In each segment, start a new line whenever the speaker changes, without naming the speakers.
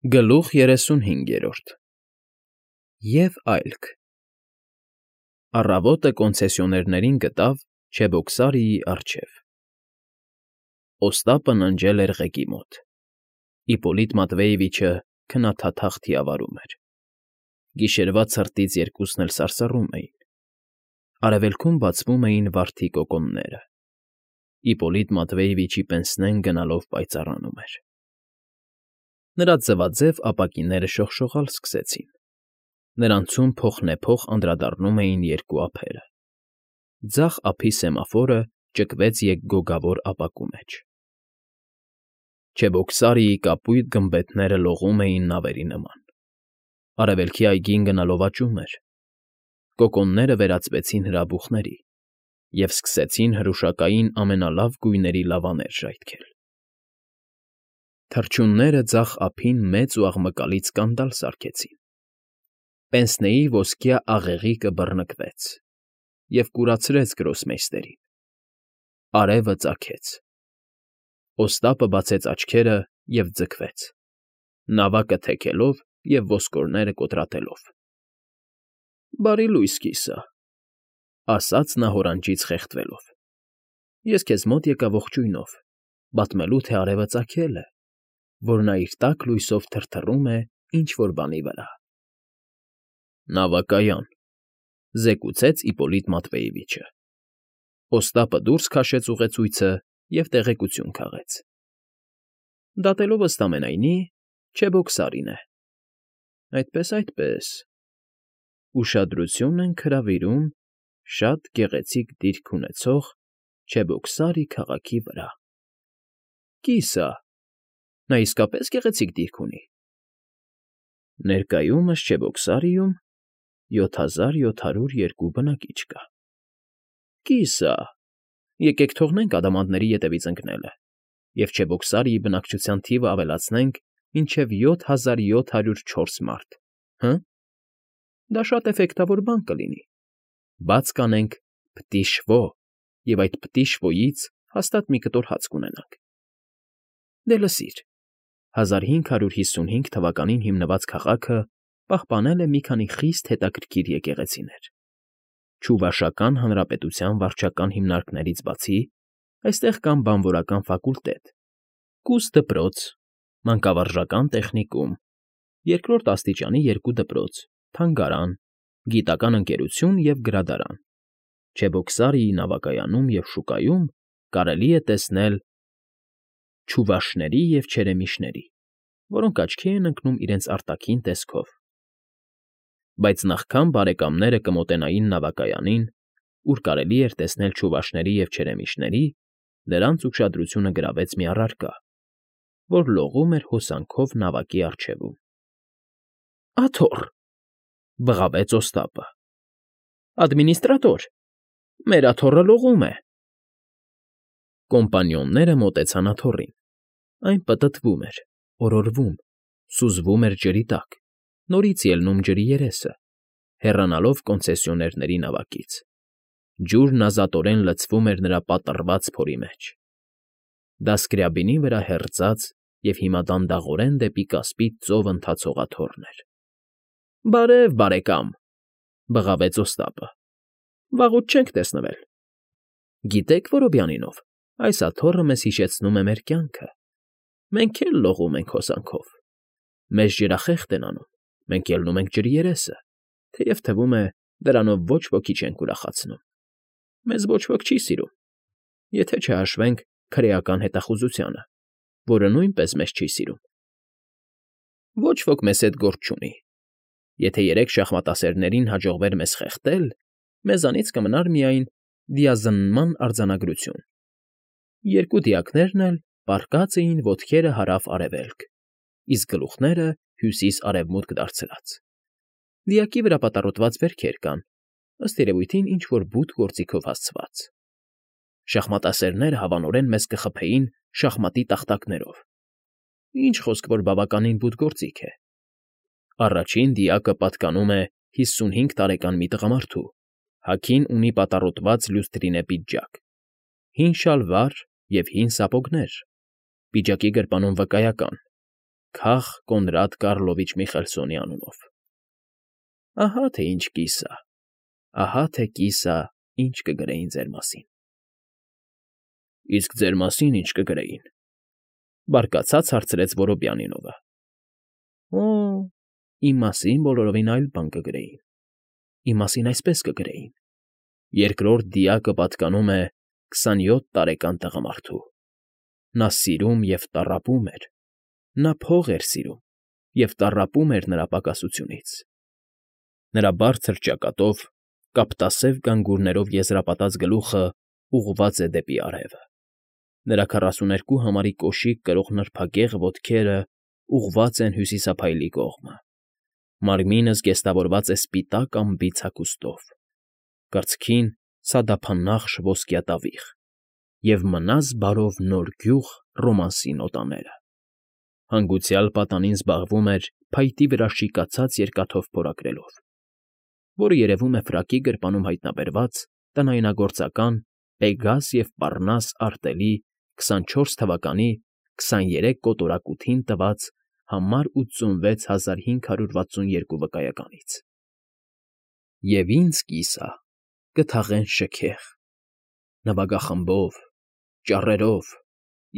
Գլուխ 35 Եվ այլք Առավոտը կոնցեսիոներներին գտավ Չեբոքսարիի առջև։ Օստապը ննջել էր ղեկի մոտ։ Իպոլիտ Մատվեևիչը քնաթաթախ թիավարում էր։ Գիշերվա ցրտից երկուսն էլ սարսռում էին։ Արևելքում բացվում էին վարդի կոկոնները։ Իպոլիտ Մատվեևիչի պենսնեն գնալով պայծառանում էր։ Նրա ձվաձև ապակիները շողշողալ սկսեցին։ Նրանցում փոխնեփոխ անդրադառնում էին երկու ափերը։ Ձախ ափի սեմաֆորը ճկվեց եկգոգավոր ապակու մեջ։ Չեբոքսարիի կապույտ գմբեթները լողում էին նավերի նման։ Արևելքի այգին գնալով աճում էր։ Կոկոնները վերածվեցին հրաբուխների և սկսեցին հրուշակային ամենալավ գույների լավաներ ժայթքել։ Թռչունները ձախ ափին մեծ ու աղմկալի սկանդալ սարքեցին։ Պենսնեի ոսկյա աղեղիկը բռնկվեց և կուրացրեց գրոսմեյստերին։ Արևը ծագեց։ Օստապը բացեց աչքերը և ձգվեց, նավակը թեքելով և ոսկորները կոտրատելով։ ֊ Բարի լույս, կիսա,֊ ասաց նա հորանջից խեղդվելով։֊ Ես քեզ մոտ եկա ողջույնով, պատմելու, թե արևը ծագել է, որ նա իր տաք լույսով թրթռում է ինչ֊որ բանի վրա։ ֊ Նավակայան,֊ զեկուցեց Իպոլիտ Մատվեևիչը։ Օստապը դուրս քաշեց ուղեցույցը և տեղեկություն քաղեց։ ֊ Դատելով ըստ ամենայնի, Չեբոքսարին է։ ֊ Այդպես,… Ուշադրություն ենք հրավիրում շատ գեղեցիկ դիրք ունեցող Չեբոքսարի քաղաքի վրա։ ֊ Կիսա, նա իսկապես գեղեցիկ դիրք ունի։ ֊ Ներկայումս Չեբոքսարիում 7702 բնակիչ կա։ ֊ Կիսա, եկեք թողնենք ադամանդների ետևից ընկնելը և Չեբոքսարիի բնակչության թիվը ավելացնենք մինչև 7704 մարդ, հը՞։ Դա շատ էֆեկտավոր բան կլինի։ Բաց կանենք Պտիշվո և այդ Պտիշվոյից հաստատ մի կտոր հաց կունենանք։ Դե լսիր, 1555 թվականին հիմնված քաղաքը պահպանել է մի քանի խիստ հետաքրքիր եկեղեցիներ։ Չուվաշական հանրապետության վարչական հիմնարկներից բացի այստեղ կան բանվորական ֆակուլտետ, կուստ֊դպրոց, մանկավարժական տեխնիկում, երկրորդ աստիճանի 2 դպրոց, թանգարան, գիտական ընկերություն և գրադարան։ Չեբոքսարիի նավակայանում և շուկայում կարելի է տեսնել չուվաշների և չերեմիշների, որոնք աչքի են ընկնում իրենց արտաքին տեսքով։ Բայց նախքան բարեկամները կմոտենային նավակայանին, ուր կարելի էր տեսնել չուվաշների և չերեմիշների, նրանց ուշադրությունը գրավեց մի առարկա, որ լողում էր հոսանքով նավակի առջևում։ ֊ Աթոռ,֊ բղավեց Օստապը։ ֊ Ադմինիստրատոր, մեր աթոռը լողում է։ Կոմպանիոնները մոտեցան աթոռին։ Այն պտտվում էր, օրորվում, սուզվում էր ջրի տակ, նորից ելնում ջրի երեսը, հեռանալով կոնցեսիոներների նավակից։ Ջուրն ազատորեն լցվում էր նրա պատռված փորի մեջ։ Դա Սկրյաբինի վրա հեռծած և հիմա դանդաղորեն դեպի կասպից ծով ընթացող աթոռն էր։ ֊ Բարև, բարեկամ,֊ բղավեց Օստապը։ ֊ Վաղուց չենք տեսնվել։ Գիտեք, Որոբյանինով, այս աթոռը մեզ հիշեցնում է մեր կյանքը։ Մենք էլ լողում ենք հոսանքով։ Մեզ ջրախեղդ են անում, մենք ելնում ենք ջրի երեսը, թեև թվում է, դրանով ոչ ոքի չենք ուրախացնում։ Մեզ ոչ ոք չի սիրում, եթե չհաշվենք քրեական հետախուզությանը, որը նույնպես մեզ չի սիրում։ Ոչ ոք մեզ հետ գործ չունի։ Եթե 3 շախմատասերներին հաջողվեր մեզ խեղդել, մեզանից կմնար միայն դիազնման արձանագրություն։ 2 դիակներն էլ պառկած էին ոտքերը հարավ֊արևելք, իսկ գլուխները հյուսիս֊արևմուտք դարձրած։ Դիակի վրա պատառոտված վերքեր կան, ըստ երևույթին ինչ֊որ բութ գործիքով հասցված։ Շախմատասերները հավանորեն մեզ կխփեին շախմատի տախտակներով։ Ինչ խոսք, որ բավականին բութ գործիք է։ Առաջին դիակը պատկանում է 55 տարեկան մի տղամարդու, հագին ունի պատառոտված լյուստրինե պիջակ, հին շալվար և հին սապոգներ, պիջակի գրպանում վկայական, Քաղ Կոնրադ Կարլովիչ Միխելսոնի անունով։ Ահա թե ինչ կիսա, ահա թե կիսա, ինչ կգրեին ձեր մասին։ Իսկ ձեր մասին ինչ կգրեին, բարկացած հարցրեց Որոբյանինովը։ Օ, իմ մասին բոլորովին այլ բան կգրեին, իմ մասին այսպես կգրեին. երկրորդ դիակը պատկանում է 27 տարեկան տղամարդու։ Նա սիրում և տառապում էր, նա փող էր սիրում և տառապում էր նրա պակասությունից։ Նրա բարձր ճակատով, կապտասև գանգուրներով եզրապատած գլուխը ուղղված է դեպի արևը։ Նրա 42 համարի կոշիկ կրող նրբագեղ ոտքերը ուղղված են հյուսիսափայլի կողմը։ Մարմինը զգեստավորված է սպիտակ ամբից հագուստով, կրծքին սադափանախշ ոսկյա տավիղ և մնաս բարով նոր գյուղ ռոմանսի նոտաները։ Հանգուցյալ պատանին զբաղվում էր փայտի վրա շիկացած երկաթով փորագրելով, որը երևում է ֆրակի գրպանում հայտնաբերված տնայնագործական Պեգաս և Պառնաս արտելի 24 թվականի 23 կոտորակութին տված համար 86562 վկայականից։ Եվ ինձ կիսա կթաղեն շքեղ, նվագախմբով, ճառերով,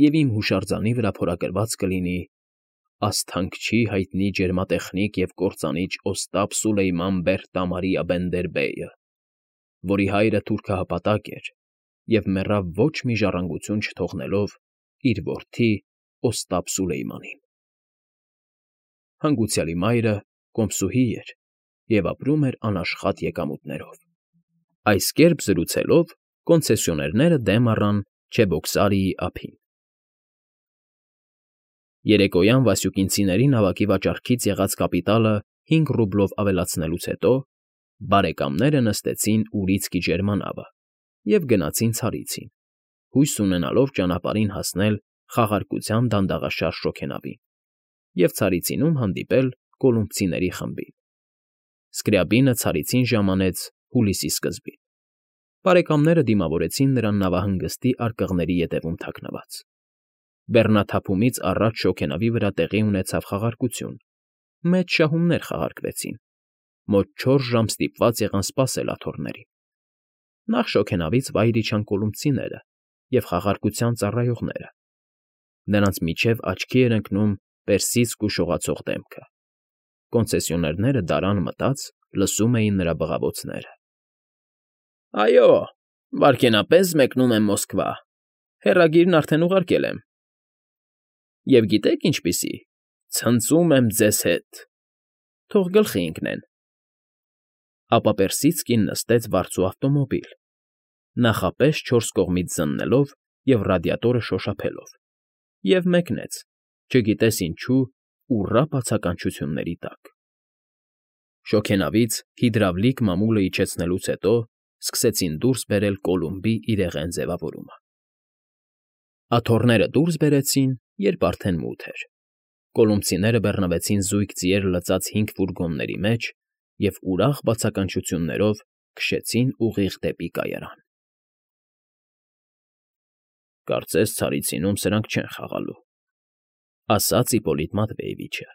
և իմ հուշարձանի վրա փորագրված կլինի «Ասթանկչի հայտնի ջերմատեխնիկ և կործանիչ Օստապ Սուլեյման Բեհ֊Տամարիա Բենդերբեյը, որի հայրը թուրքահպատակ էր և մեռավ ոչ մի ժառանգություն չթողնելով իր որդի Օստապ Սուլեյմանին։ Հանգուցյալի մայրը կոմսուհի էր և ապրում էր անաշխատ եկամուտներով»։ Այս կերպ զրուցելով կոնցեսիոներները դեմ առան Չեբոքսարիի ափին։ Երեկոյան Վասյուկինցիների նավակի վաճառքից եղած կապիտալը 5 ռուբլով ավելացնելուց հետո բարեկամները նստեցին Ուրիցկի ջերմանավը և գնացին Ցարիցին, հույս ունենալով ճանապարհին հասնել խաղարկության դանդաղաշար շոգենավին և Ցարիցինում հանդիպել կոլումբցիների խմբին։ Սկրյաբինը Ցարիցին ժամանեց հուլիսի սկզբին։ Բարեկամները դիմավորեցին նրան նավահանգստի արկղների ետևում թաքնված։ Բեռնաթափումից առաջ շոգենավի վրա տեղի ունեցավ խաղարկություն, մեծ շահումներ խաղարկվեցին, մոտ 4 ժամ ստիպված եղան սպասել աթոռներին։ Նախ շոգենավից վայր իջան կոլումբցիները և խաղարկության ծառայողները։ Նրանց միջև աչքի էր ընկնում Պերսիցկու շողացող դեմքը։ Կոնցեսիոներները դարան մտած լսում էին նրա բղավոցները։ Այո, վայրկենապես մեկնում եմ Մոսկվա, հեռագիրն արդեն ուղարկել եմ։ Եվ գիտե՞ք ինչպիսի, ցնծում եմ ձեզ հետ, թող գլխի ընկնեն։ Ապա Պերսիցկին նստեց վարձու ավտոմոբիլ, նախապես 4 կողմից զննելով և ռադիատորը շոշափելով, և մեկնեց, չգիտես ինչու, ուռա բացականչությունների տակ։ Շոգենավից հիդրավլիկ մամուլը իջեցնելուց հետո սկսեցին դուրս բերել Կոլումբի իրեղեն ձևավորումը։ Աթոռները դուրս բերեցին, երբ արդեն մութ էր։ Կոլումբցիները բռնվեցին զույգ ձիեր լցած 5 ֆուրգոնների մեջ և ուրախ բացականչություններով քշեցին ուղիղ դեպի կայարան։ Կարծես Ցարիցինում սրանք չեն խաղալու, ասաց Իպոլիտ Մատվեևիչը։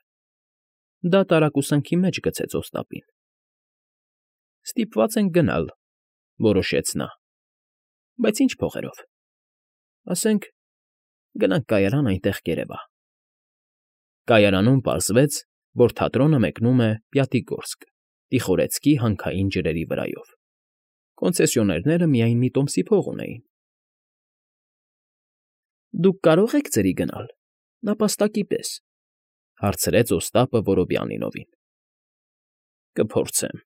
Դա տարակուսանքի մեջ գցեց Օստապին։ Ստիպված ենք գնալ, որոշեց նա։ Բայց ինչ փողերով։ Ասենք, գնանք կայարան այնտեղ կերևա։ Կայարանում պարզվեց, որ թատրոնը մեկնում է Պյատիգորսկ, Տիխորեցկի հանքային ջրերի վրայով։ Կոնցեսիոներները միայն մի տոմսի փող ունեին։ Դուք կարո՞ղ եք ձրի գնալ, նապաստակի պես, հարցրեց Օստապը Որոբյանինովին։ Կփորձեմ,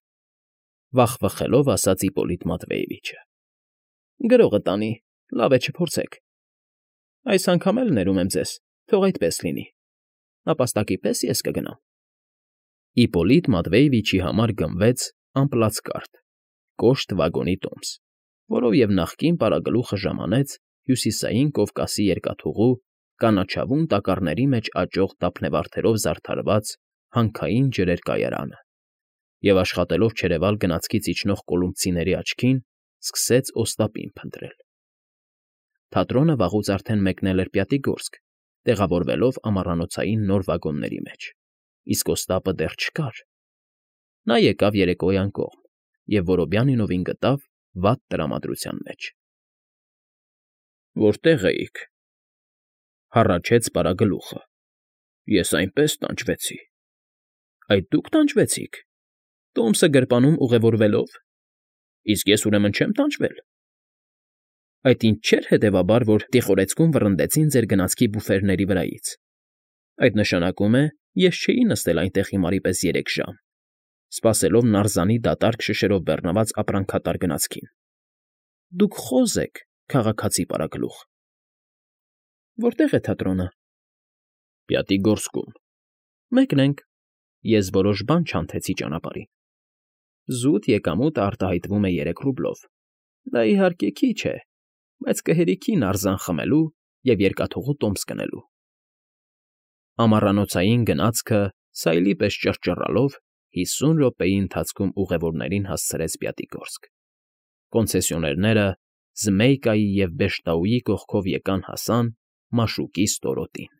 վախվխելով ասաց Իպոլիտ Մատվեևիչը։ Գրողը տանի, լավ է չփորձեք։ Այս անգամ էլ ներում եմ ձեզ, թող այդպես լինի, նապաստակի պես ես կգնամ։ Իպոլիտ Մատվեևիչի համար գնվեց ամպլացկարտ, կոշտ վագոնի տոմս, որով և նախկին պարագլուխը ժամանեց Հյուսիսային Կովկասի երկաթուղու կանաչավուն տակառների մեջ աճող թափնևարդերով զարդարված հանքային ջրեր կայարանը և աշխատելով չերևալ գնացքից իջնող կոլումբցիների աչքին, սկսեց Օստապին փնտրել։ Թատրոնը վաղուց արդեն մեկնել էր Պյատիգորսկ տեղավորվելով ամառանոցային նոր վագոնների մեջ, իսկ Օստապը դեռ չկար։ Նա եկավ երեկոյան կողմ և Որոբյանինովին գտավ վատ տրամադրության մեջ։ ֊ Որտե՞ղ էիք,֊ հառաչեց Բարագլուխը։ Ես այնպես տանջվեցի։ ֊ Այդ դուք տանջվեցիք… Տոմսը գրպանում ուղևորվելով… Իսկ ես ուրեմն չեմ տանջվել… Այդ ինչ չէր, հետևաբար, որ տիխորեցկում վռնդեցին ձեր գնացքի բուֆերների վրայից… Այդ նշանակում է, ես չէի նստել այնտեղ հիմարի պես 3 ժամ, սպասելով նարզանի դատարկ շշերով բեռնված ապրանքատար գնացքին… Դուք խոզ եք, քաղաքացի պարագլուխ… Որտե՞ղ է թատրոնը։ ֊ Պյատիգորսկում։ ֊ Մեկնենք… Ես որոշ բան չանթեցի ճանապարհին… Զուտ եկամուտը արտահայտվում է 3 ռուբլով… Դա, իհարկե, քիչ է, բայց կհերիքի նարզան խմելու և երկաթուղու տոմս գնելու… Ամառանոցային գնացքը սայլի պես ճռճռալով 50 րոպեի ընթացքում ուղևորներին հասցրեց Պյատիգորսկ… Կոնցեսիոներները Զմեյկայի և Բեշտաուի կողքով եկան֊հասան Մաշուկի ստորոտին։